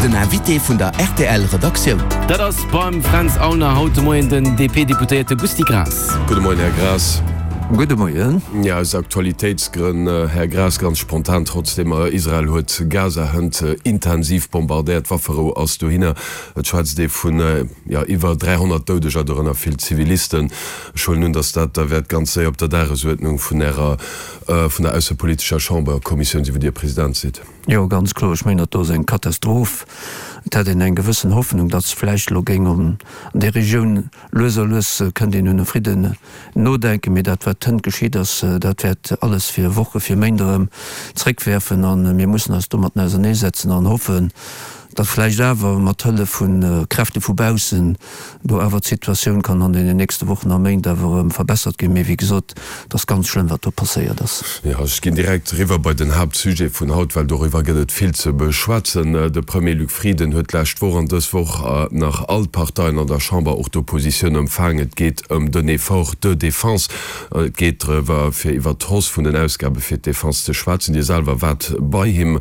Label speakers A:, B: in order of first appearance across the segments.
A: Den Invité vun der rtl Redaktioun.
B: Dat ass beim Fränz Aulner haut de Moien den DP-Deputéierte Gusty Graas.
C: Gudde Moien, Här Graas.
D: Gudde Moien.
C: Jo, aus Aktualitéitsgrënn, Här Graas, ganz spontan trotzdem, Israel huet Gaza hënt intensiv bombardéiert, d'Wafferou ass dohinner. Et schwätzt ee vun, jo, iwwer 300 Doudeger, dorënner vill Zivilisten. Ech huelen un, datt dat da wäert ganz séier op der Dagesuerdnung vun Ärer, vun der aussepolitescher Chamberkommissioun sinn, wou Dir President sidd.
D: Jo, ganz kloer. Ech mengen, dat do ass eng Katastroph. Et hat een eng gewëssen Hoffnung, datt vläicht elo géing an där Regioun lues a lues kënnt een un e Fridden nodenken. Mee dat, wat hënt geschitt ass, dat wäert alles fir Wochen, fir Méint erëm zréckwäerfen. A mir mussen eis domatten auserneesetzen an hoffen, datt vläicht awer mat Hëllef vu Kräfte vu baussen do awer d'Situatioun kann an deenen nächste Wochen a Méint awer erëm verbessert ginn. Mee wéi gesot, et ass ganz schlëmm, wat do passéiert ass.
C: Jo, ech ginn direkt eriwwer bei den Haaptsujet vun haut, well doriwwer gëtt et vill ze beschwätzen. De Premier Luc Frieden huet d'lescht Woch an dës Woch nach all d'Parteien an der Chamber, och d'Oppositioun, empfaangen. Et geet ëm den Effort de défense. Et geet drëwer, fir iwwert d'Hausse vun den Ausgabe fir d'Defense ze schwätzen. Dir selwer waart bei him.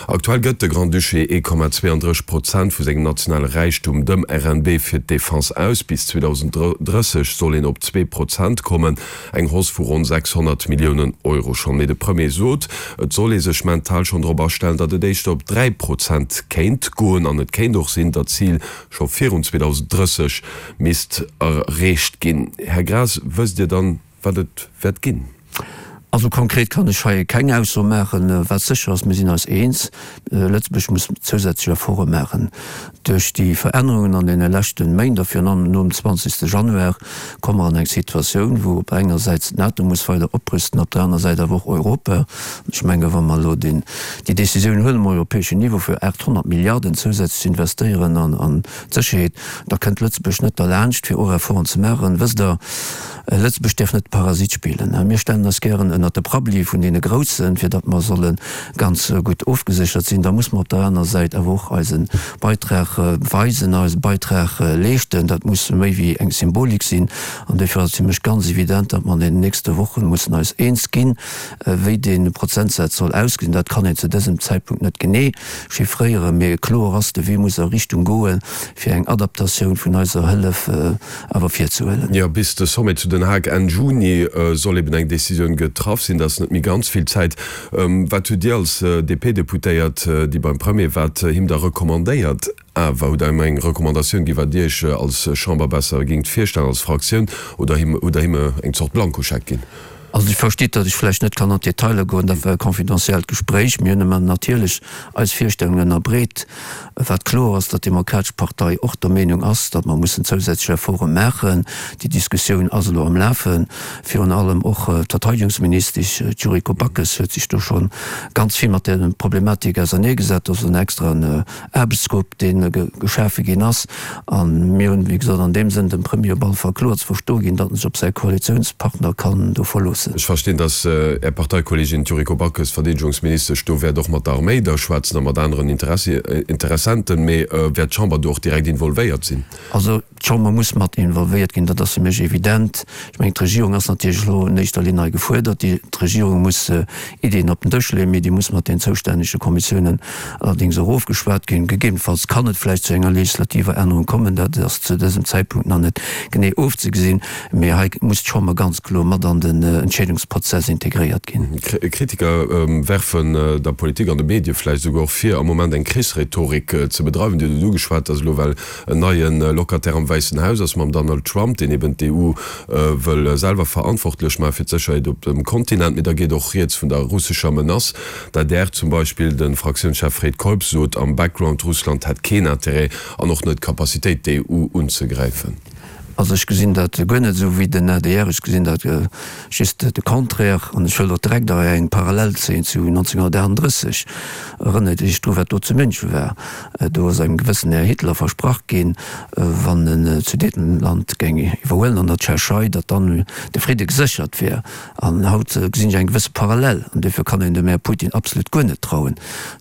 C: Aktuell gëtt de Grand-Duché 1,32 Prozent vu sengem nationale Räichtum, dem RNB, fir d'Defense aus. Bis 2030 soll een op 2 Prozent kommen, eng Hausse vu ronn 600 Milliounen Euro schonn. Mee de Premier sot, et soll ee sech mental schonn drop astellen, datt et éischter op 3 Prozent kéint goen an et kéint och sinn, datt d'Zil scho virun 2030 misst erreecht ginn. Här Graas, wësst Dir dann, wat et wäert ginn?
D: Also konkret kann ech hei keng Ausso maachen. Wat sécher ass, mir sinn eis eens, Lëtzebuerg muss zousätzlech Efforte maachen. Duerch déi Verännerungen an deene leschte Méint a virun allem nom 20. Januar komme mer an eng Situatioun, wou op der enger Säit d'NATO muss weider oprüsten, op der aner Säit awer och Europa. An ech menge wa mer elo déi Décisioun huelen um europäeschen Niveau fir 800 Milliarden zousätzlech ze investéieren an d'Sécherheet, da kënnt Lëtzebuerg net derlaanscht, fir och Efforten ze maachen. Wësst Der, Lëtzebuerg däerf net de Parasit spillen. Mir stellen eis gären ënnert de Prabbeli vun deene Groussen, fir datt mer solle ganz gutt ofgeséchert sinn. Da muss mer op der anerer Säit awer och eise Beitrag weisen, eise Beitrag leeschten. Dat muss méi wéi eng Symbolik sinn. An duerfir ass et fir mech ganz evident, datt mer an deenen nächste Woche mussen eis eens ginn, wéi dee Prozentsaz soll ausgesinn. Dat kann een zu dësem Zäitpunkt net genee chiffréieren, mee kloer ass, de Wee muss a Richtung goen, fir eng Adaptatioun vun eiser Hëllef awer virzehuelen.
C: Jo, bis de Sommet zu Den Haag Enn Juni soll eben eng Decisioun getraff sinn. Dat ass net méi ganz vill Zäit. Wat hutt Dir als DP-Deputéiert, déi beim Premier waart, him da recommandéiert? Awer hutt Der him eng Recommandatioun ginn, wat Dir Iech als Chamber besser géingt virstellen, als Fraktioun, oder hutt Der him eng Zort Blankoscheck ginn?
D: Also Dir verstitt, datt ech vläicht net kann an d'Detailer goen, dat war e confidentiellt Gespréich. Mir hunn ëm natierlech eis Virstellungen ënnerbreet. Wat kloer ass, datt d'Demokratesch Partei och der Meenung ass, datt mer mussen zousätzlech Efforte maachen. Déi Diskussioun ass elo am Lafen. Virun allem och d'Verteidigungsministesch, d'Yuriko Backes, huet sech do scho ganz vill mat där Problematik auserneegesat. Do ass en extraen Aarbechtsgrupp, dee geschafe ginn ass. A mir hunn, wéi gesot, an deem Sënn dem Premier op alle Fall kloer ze verstoe ginn, datt en sech op säi Koalitiounspartner kann do verloossen.
C: Ech verstinn, datt Är Parteikolleegin d'Yuriko Backes, Verdeedegungsministesch, do wäert och mat der Arméi da schwätzen a mat aneren Interessenten. Mee wäert d'Chamber do och direkt involvéiert sinn?
D: Also D'Chamber muss mat involvéiert ginn, dat ass fir mech evident. Ech mengen, d'Regierung ass natierlech elo an éischter Linn hei gefuerdert. D'Regierung muss Iddien op den Dësch leeën, mee déi muss mat den zoustännege Kommissiounen allerdéngs och ofgeschwat ginn. Gegebenfalls kann et vläicht zu enger legislativer Ännerung kommen, dat ass zu dësem Zäitpunkt nach net genee ofzegesinn, mee hei muss d'Chamber ganz kloer mat an den Entscheedungsprozess integréiert ginn.
C: Kritiker werfen der Politik an de Medie vläicht esouguer och vir, am Moment eng Krichsrhetorik ze bedreiwen. Dir hutt et ugeschwat, dass elo well en neie Locataire am Wäissen Haus ass mam Donald Trump, deen eben d'EU wëll selwer verantwortlech maache fir d'Sécherheet op dem Kontinent. Mee da geet och rieds vun der russescher Menace. D'adr zum Beispill, de Fraktiounschef Fred Keup sot am Background, Russland hätt keen Interêt an och net d'Capacitéit d'EU unzegräifen.
D: Also ech gesinn dat guer net esou wéi den adr, ech gesinn dat just de Contraire. An ech wëll och direkt hei eng Parallel zéien zu 1938. Erënnert Iech dru wat do zu München war. Do ass engem gewëssen Här Hitler versprach ginn, wann en d'Sudetenland géing iwwerhuelen an der Tschechei, datt dann de Fridde geséchert wär. An haut gesinn ech eng gewësse Parallel. An duerfir kann een dem Här Putin absolut guer net trauen.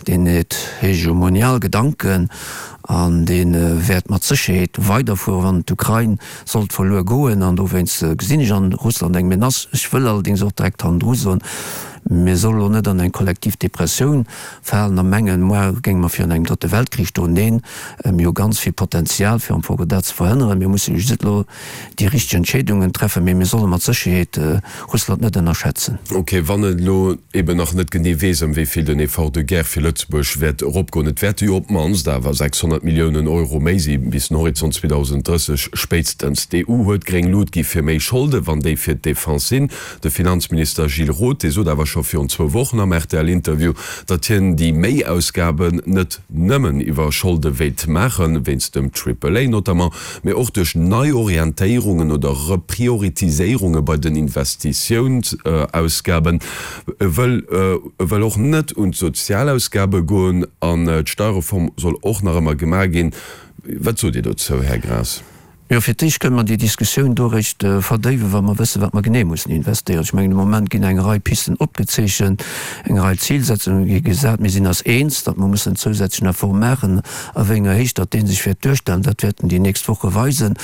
D: Deen huet hegemonial Gedanken an dee wäert mat Sécherheet weiderfueren, wann d'Ukrain sollt verluer goen. An dowéinst gesinn ech an Russland eng Menace. Ech wëll allerdéngs och direkt hannendru soen, Mir solle lo net an eng kollektiv Depressioun falen a mengen, moar géinge mer virun engem drëtte Weltkrich stoen. Neen, mir hu ganz vill Potenzial, fir am Fong dat ze verhënneren. Mir musse just elo déi richteg Entscheedungen treffen, mee mir solle mat Sécherheet Russland net ënnerschätzen.
C: Ok, wann een elo eben nach net genee weess, ëm wéi vill den Effort de guerre fir Lëtzebuerg wäert eropgoen, et wäerte jo op d'mannst awer 600 Milliounen Euro méi si bis den Horizont 2030 spéitstens. D'EU huet gréng Lut gi fir méi Scholde, wann déi fir d'Defense sinn. De Finanzminister Gilles Roth, dee sot awer scho virun zwou Wochen am RTL-Interview, datt hien déi Méiausgaben net nëmmen iwwer Scholde wéilt maachen, wéinst dem Triple A notamment, mee och duerch Neiorientéierungen oder Reprioritiséierunge bei den Investitiounsausgaben. E wëll e wëll och net un d'Sozialausgabe goen an d'Steierreform soll och nach ëmmer gemaach ginn. Wat sot Dir dozou, Här Graas?
D: Jo, fir d'éischt kënne mer déi Diskussioun do eréischt verdéiwen, wa mer wëssen, wat mer genee mussen investéieren. Ech mengen, de Moment ginn eng Rei Pisten opgezeechent, eng Rei Zilsetzunge gi gesat. Mir sinn eis eens, datt mer mussen en zousätzlechen Effort maachen. A wéi enger Héicht datt dee sech wäert duerstellen, dat wäerten déi nächst Woche weisen.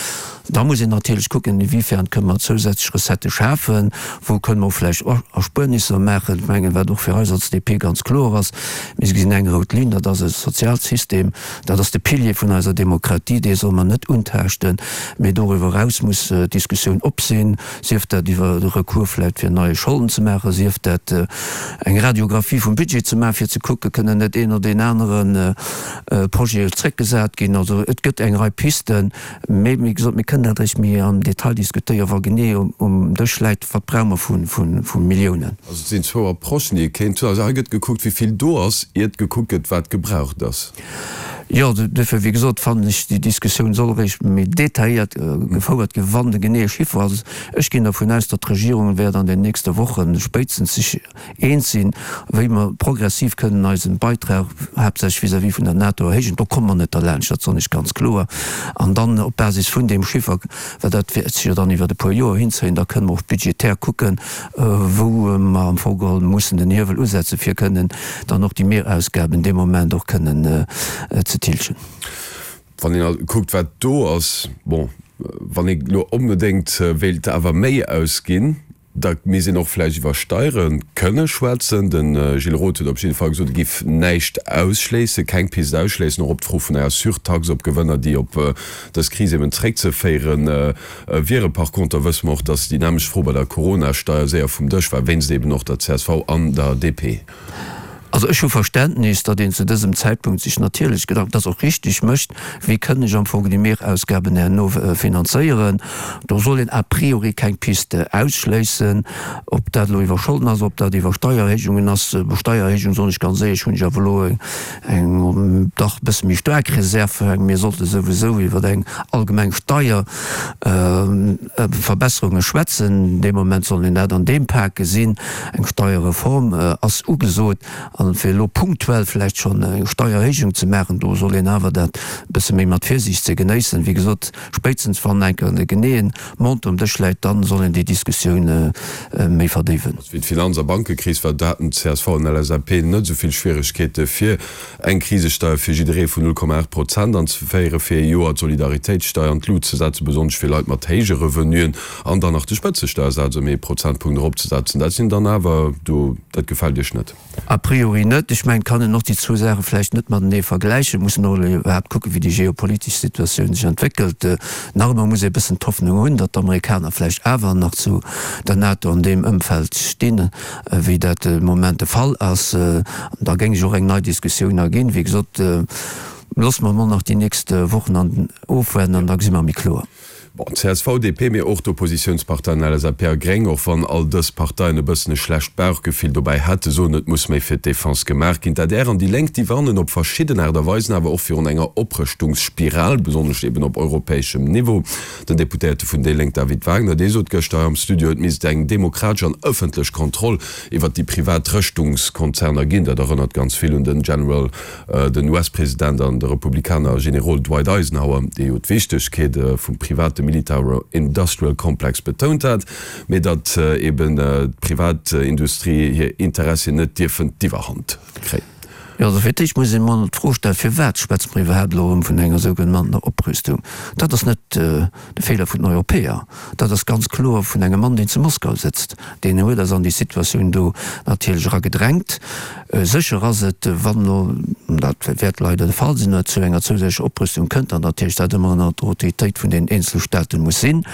D: Da muss een natierlech kucken, inwiefern kënne mer zousätzlech Recettë schafen, wou kënne mer och vläicht Erspuernisser maachen. Ech mengen, wat och fir eis als DP ganz kloer ass, Mir gesinn eng rout Linn, dat ass e Sozialsystem, Dat ass de Pilier vun eiser Demokratie, dee solle mer net untaaschten. Mee doriwwer eraus muss d'Diskussioun op sinn, sief dat iwwer de Recours vläicht fir neie Scholden ze maachen, sief dat eng Radiographie vum Budget ze maachen, fir ze kucken, kënnen net een oder deen anere Projet zréckgesat ginn. Also et gëtt eng Rei Pisten. Mee wéi gesot, mir kënnen dat eréischt méi am Detail diskutéieren, wa genee um Dësch läit, wat brauche mer vu Milliounen.
C: Also et sinn zwou Approchen, déi ee kéint hunn. Also hei gëtt gekuckt, wéi vill do ass, iert gekuckt gëtt, wat gebraucht ass.
D: Jo, duerfir, wéi gesot, fannen ech, déi Diskussioun soll eréischt méi detailléiert gefouert ginn, wann de geneeë Chiffer ass. Ech ginn dervun aus, datt d'Regierung wäert an den nächste Woche spéitstens sech eens sinn, wéi mer progressiv kënnen eisen Beitrag, haaptsächlech vis-à-vis vun der NATO, erhéijen. Do komme mer net derlaanscht, dat soen ech ganz kloer. An dann op Basis vun deem Chiffer, well dat wäert sech jo dann iwwert e puer Joer hinzéien, da kënnen mer och budgetär kucken, wou mer am Fong geholl mussen den Hiewel usetzen, fir kënnen dann och déi Mehrausgaben dee Moment och kënnen ze tilgen.
C: Wann een kuckt, wat do ass, bon, wann ee elo onbedéngt wéilt awer méi ausginn, Da misst een och vläicht iwwer Steiere kënne schwätzen. De Gilles Roth huet op jidde Fall gesot, e giff näischt ausschléissen, keng Pist ausschléissen, och op d'Fro vun enger Surtaxe op Gewënner, déi op dës Kris eben zréckzeféiere wieren. Par conter wësse mer och, datt déi nämmlecht Fro bei der Corona-Steier séier vum Dësch war, wéinst eben och der csv an der DP.
D: Also ech hu Verständnis, datt een zu dësem Zäitpunkt sech natierlech Gedanken, dat ass och richtig, mécht, wéi kënn ech am Fong déi Mehrausgaben herno finanzéieren. Do soll een a priori keng Piste ausschléissen, ob dat elo iwwer Scholden ass, ob dat iwwer Steiererhéijungen ass. Bei Steiererhéijung, soen ech ganz éierlech, hunn ech awer elo eng dach e bësse méi staark Reserve. Mir sollte souwisou iwwer eng allgemeng Steier. Verbesserunge schwätzen. Dee Moment soll een dat an deem Pak gesinn. Eng Steierreform ass ugesot. A fir elo punktuell vläicht schonn eng Steiererhéijung ze maachen, do soll een awer dat e bësse méi mat Virsiicht ze genéissen. Wéi gesot, spéitstens wann eng Kéier de geneeë Montant um Dësch läit, da soll een déi Diskussioun méi verdéiwen.
C: Wéi d'Finanz a Bankekris war, do haten csv an LSAP net esou vill Schwieregkeete fir Eng Krisesteier fir jidderee vun 0,8 Prozent anzeféieren, fir ee Joer d'Solidaritéitssteier an d'Lut ze setzen, besonnesch fir Leit mat héije Revenuen, an dann nach de Spëtzesteiersaz ëm ee Prozentpunkt eropzesetzen, dat sinn dann awer do, dat gefält Iech net?
D: A priori net. Ech mengen, et kann een och déi zwou Saache vläicht net matenee vergläichen. Et muss een och elo iwwerhaapt kucken, wéi déi geopolitesch Situatioun sech entwéckelt. Nach ëmmer muss ee e bëssen d'Hoffnung hunn, datt d'Amerikaner vläicht awer nach zu der NATO an deem Ëmfeld stinn. wéi dat de Moment de Fall ass. Da géing sech och eng nei Diskussioun erginn. Wéi gesot, loosse mer emol nach déi nächst Wochen an ofwaarden an da gesi mer méi kloer.
C: Bon, csv, DP, mee och d'Oppositiounsparteien LSAP a Gréng, och wann all dës Parteien e bëssen e schlecht Bauchgefill dobäi hätten, soen, et muss méi fir d'Defense gemaach ginn. D'adr an déi Lénk, déi warnen op verschidden Aart a Weisen awer och virun enger Oprëschtungsspiral, besonnesch eben op europäeschem Niveau. Den Deputéierte vun déi Lénk David Wagner, dee sot gëschter hei am Studio, et misst eng demokratesch an ëffentlech Kontroll iwwert déi privat Rëschtungskonzerner ginn. Dat erënnert ganz vill un den General, den US-President an de Republikaner Generol Dwight Eisenhower, dee jo d'Wichtegkeet vum private Militaro-Industrial Complex betount hat, mee datt eben d'Privatindustrie hir Interessien net dierfen d'Iwwerhand kréien.
D: Jo, also fir d'éischt muss een emol d'Fro stellen, Firwat schwätze mer iwwerhaapt elo erëm vun enger sougenannter Oprüstung? Dat ass net de Feeler vun den Europäer. Dat ass ganz kloer vun engem Mann, deen zu Moskau sëtzt. Deen huet eis an déi Situatioun do natierlech eragedrängt. Sécher ass et, wann elo, an dat wäert leider de Fall sinn, et zu enger zousätzlecher Oprüstung kënnt, datt natierlech dat ëmmer ënner der Autoritéit vun den eenzele Staaten muss sinn.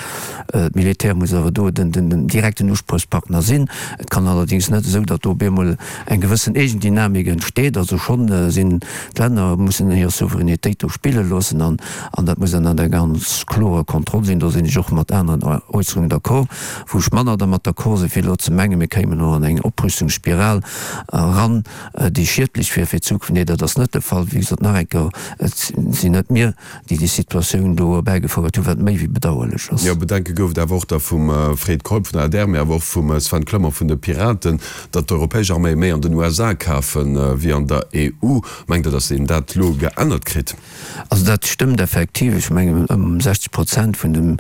D: D'Militär muss awer do den direkten Uspriechpartner sinn. Et kann allerdéngs net esou, datt do op eemol eng gewëssen Eegendynamik entsteet. Also schonn sinn d'Länner mussen hir Souveränitéit do spille loossen an dat muss ënner der ganz klorer Kontroll sinn. Do sinn ech och mat aneren Äusserungen d'accord. Wou ech manner dermat d'accord sinn, fir elo ze mengen, mir kéimen elo an eng Oprüstungsspiral eran, déi schiedlech wier fir d'Zukunft. Nee, dat ass net de Fall. Wéi gesot, nach eng Kéier, et sinn net mir, déi déi Situatioun do erbäigefouert hunn, wat méi wéi bedauerlech ass.
C: Jo, Bedenke gouf et awer och da vum Fred Keup vun der adr, mee awer och vum Sven Clement vun de Piraten, datt d'europäesch Arméie méi an den USA kafen, wéi an der EU. Mengt Der, datt een dat elo geännert kritt?
D: Also dat stëmmt effektiv. Ech mengen ëm 60 Prozent vun dem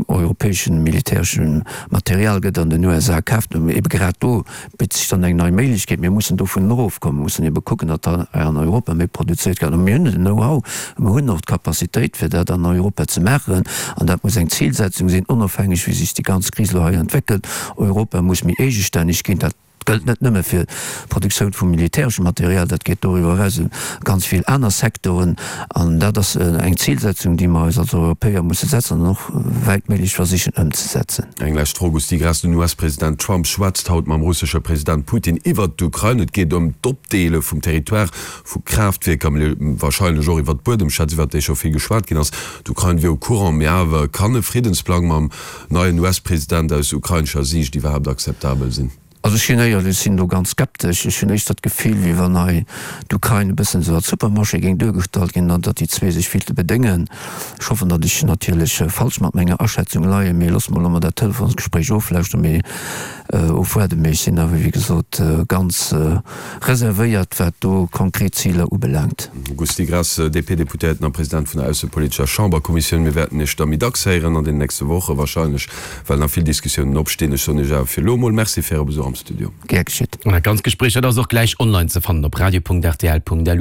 D: europäesche militäresche Material gëtt an den USA kaaft. Ebe grad do bitt sech dann eng nei Méiglechkeet. Mir mussen dovun erofkommen, mir mussen ebe kucken, datt hei an Europa méi produzéiert gëtt. A mir hunn den Know-how, mir hunn och d'Capacitéit fir dat an Europa ze maachen. An dat muss eng Zilsetzung sinn, onofhängeg wéi sech déi ganz Kris elo hei entwéckelt. Europa muss méi eegestänneg ginn. Dat gëllt net nëmme fir d'Produktioun vu militäreschem Material, dat geet doriwwer eraus un ganz vill aner Secteuren. An dat ass eng Zilsetzung, déi mer eis als Europäer musse setzen an och wäitméiglech versichen ëmzesetzen.
C: Eng lescht Fro, Gusty Graas, Den US-President Trump schwätzt haut mam russesche President Putin iwwert d'Ukrain. Et geet ëm d'Opdeele vum Territoire, vu Kraaftwierker, mee warscheinlech och iwwert d'Buedemschätz, iwwert déi scho vill geschwat ginn ass. D'Ukrain wier au courant, mee awer kann e Friddensplang mam neien US-President aus ukrainescher Siicht iwwerhaapt akzeptabel sinn?
D: Also ech sinn éierlech, ech sinn do ganz skeptesch. Ech hunn éischter d'Gefill, wéi wann hei d'Ukrain e bëssen esou als Supermarché géing duergestallt ginn an datt déi zwee sech vill ze bedéngen. Ech hoffen, datt ech natierlech falsch mat menger Aschätzung leien, mee loosse mer elo mol dat Telefonsgespréich oflauschteren, mee ofwaarden. Mee ech sinn awer, wéi gesot, ganz reservéiert, wat do konkret Ziler ubelaangt.
C: Gusty Graas, DP-Deputéierten a President vun der aussepolitescher Chamberkommissioun, Mir wäerten Iech da méi dacks héieren an den nächste Woche wahrscheinlech, well nach vill Diskussiounen opstinn. Ech soen Iech awer fir elo emol Merci fir Äre Besuch am Studio.
D: Gär geschitt.
B: An dat ganzt Gespréich, dat ass och gläich online ze fannen op radio.rtl.lu.